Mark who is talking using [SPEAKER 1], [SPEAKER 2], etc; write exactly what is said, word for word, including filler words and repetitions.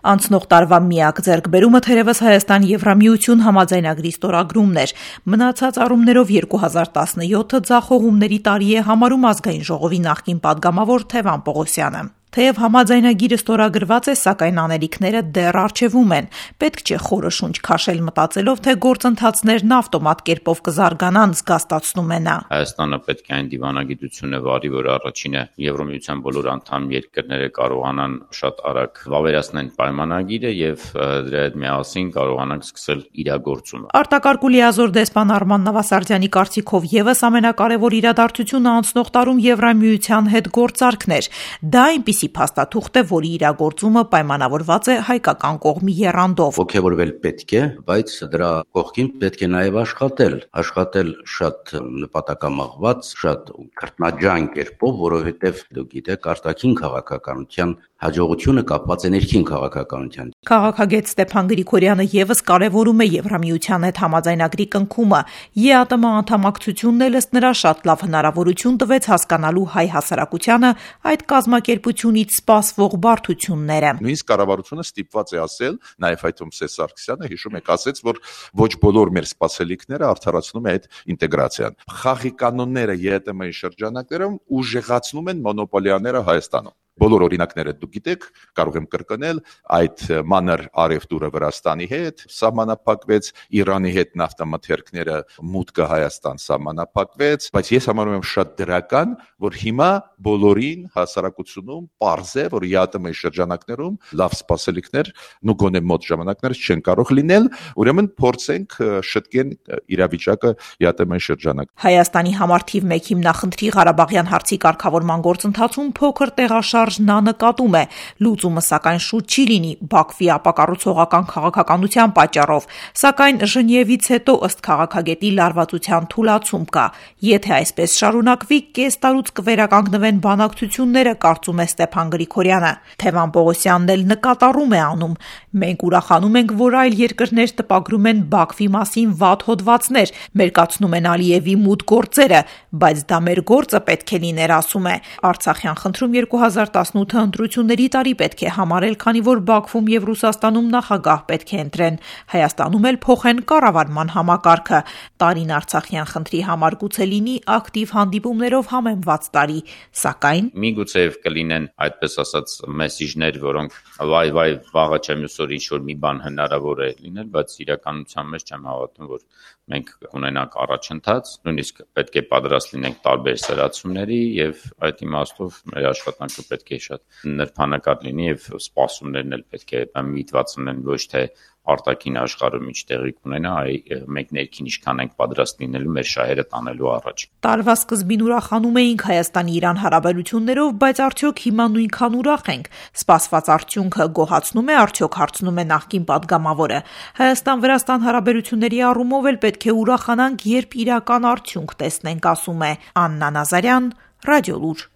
[SPEAKER 1] Անցնող տարվա միակ ձեռքբերումը թերևս Հայաստան-Եվրամիություն համաձայնագրի ստորագրումն էր։ Մնացած առումներով երկու հազար տասնյոթը ձախողումների տարի է համարում Ազգային ժողովի նախկին падգամավոր Թևան Պողոսյանը։ Թեև համաձայնագիրը ստորագրված է, սակայն անելիքները դեռ առջևում են։ Պետք չէ խորը շունչ քաշել մտածելով, թե գործընթացներն ավտոմատ կերպով կզարգանան, զգաստացնում է նա։
[SPEAKER 2] Հայաստանը պետք է այն դիվանագիտությունը վարի, որ առաջինը Եվրամիության բոլոր անդամ երկրները կարողանան շատ արագ վավերացնել պայմանագիրը եւ դրա հետ միասին կարողանան սկսել իրագործումը։
[SPEAKER 1] Արտակարգ ու լիազոր դեսպան Արման Նավասարդյանի կարծիքով եւս ամենակարևոր իրադարձությունը անցնող տարում Եվրամիության հետ գործարքն էր։ Դա այնպիսի փաստաթուղթ է, որի իրագործումը պայմանավորված է հայկական կողմի եռանդով։
[SPEAKER 3] Ոգևորվել պետք է, բայց դրա կողքին պետք է նաև աշխատել, աշխատել շատ նպատակամղված, շատ քրտնաջան կերպով, որովհետև դուք գիտեք, արտաքին քաղաքականության հաջողությունը կապված է ներքին քաղաքականության։
[SPEAKER 1] Քաղաքագետ Ստեփան Գրիգորյանը եւս կարևորում է Եվրամիության հետ համաձայնագրի կնքումը։ ԵԱՏՄ անդամակցությունն էլ ըստ նրա շատ լավ հնարավորություն տվեց հասկանալու հայ հասարակությանը այդ կազմակերպությունից սպասվող բարդությունները։
[SPEAKER 4] Նույնիսկ կառավարությունը ստիպված է ասել, նաև այդ Սերժ Սարգսյանը հիշում եք ասեց, որ ոչ բոլոր մեր սպասելիքները արդարացնում է այդ ինտեգրացիան։ Խաղի կանոնները ԵԱՏՄ-ի շրջանակներում ուժեղացնում են մոնոպոլիաները Հայաստանում։ Բոլոր օրինակները դուք գիտեք, կարող եմ կրկնել, այդ մանր արևտուրը Վրաստանի հետ սահմանափակվեց, Իրանի հետ նավթամթերքները մուտքը Հայաստան սահմանափակվեց, բայց ես համարում եմ շատ դրական, որ հիմա բոլորին հասարակությունում պարզ է, որ ԵԱՏՄ-ի շրջանակներում լավ սպասելիքներ ու գոնե մոտ ժամանակներ չեն կարող լինել, ուրեմն փորձենք շտկեն իրավիճակը ԵԱՏՄ-ի շրջանակ։
[SPEAKER 1] Հայաստանի համար թիվ մեկ հիմնախնդրի Ղարաբաղյան հարցի կարգավորման գործընթացում փոքր տեղաշարժ նա նկատում է, լուծումը սակայն շուտ չի լինի Բաքվի ապակառուցողական քաղաքականության պատճառով, սակայն Ժնևից հետո ըստ քաղաքագետի լարվածության թուլացում կա։ Եթե այսպես շարունակվի, կես տարուց կվերականգնվեն բանակցությունները, կարծում է Ստեփան Գրիգորյանը։ Թևան Պողոսյանն էլ նկատառում է անում։ Մենք ուրախանում ենք, որ այլ երկրներ տպագրում են Բաքվի մասին վատ հոդվածներ, մերկացնում են Ալիևի մութ գործերը, բայց դա մեր գործը պետք է լիներ, ասում է։ Արցախյան խնդրում երկու հազար տասնութը ընտրությունների տարի պետք է համարել, քանի որ Բաքվում եւ Ռուսաստանում նախագահ պետք է ընտրեն, Հայաստանում էլ փոխեն կառավարման համակարգը։ Տարին Արցախյան խնդրի համար գուցե լինի ակտիվ հանդիպումներով համեմված տարի, սակայն
[SPEAKER 2] միգուցեև կլինեն այդպես ասած մեսիջներ, որոնք վայ վայ վաղը չեմ ուսոր ինչ-որ մի բան հնարավոր է լինել, բայց իրականության մեջ չեմ հավատում, որ մենք ունենանք առաջընթաց, նույնիսկ պետք է պատրաստ լինենք տարբեր սրացումների եւ այդ իմաստով մեր աշխատանքը պետք է շատ նրբանկատ լինի եւ սպասումներն էլ պետք է միտված լինեն ոչ թե արտաքին աշխարհում ինչ տեղի կունենա, այլ մենք ներքին ինչքան ենք պատրաստ լինելու մեր շահերը տանելու առաջ։
[SPEAKER 1] Տարվա սկզբին ուրախանում էինք Հայաստանի-Իրան հարաբերություններով, բայց արդյոք հիմա նույնքան ուրախ ենք։ Սպասված արդյունքը գոհացնում է, արդյոք հարցնում է նախկին падգամավորը։ Հայաստան-Վրաստան հարաբերությունների առումով էլ պետք է ուրախանանք, երբ իրական արդյունք տեսնենք, ասում է Աննա Նազարյան, Ռադիոլուր։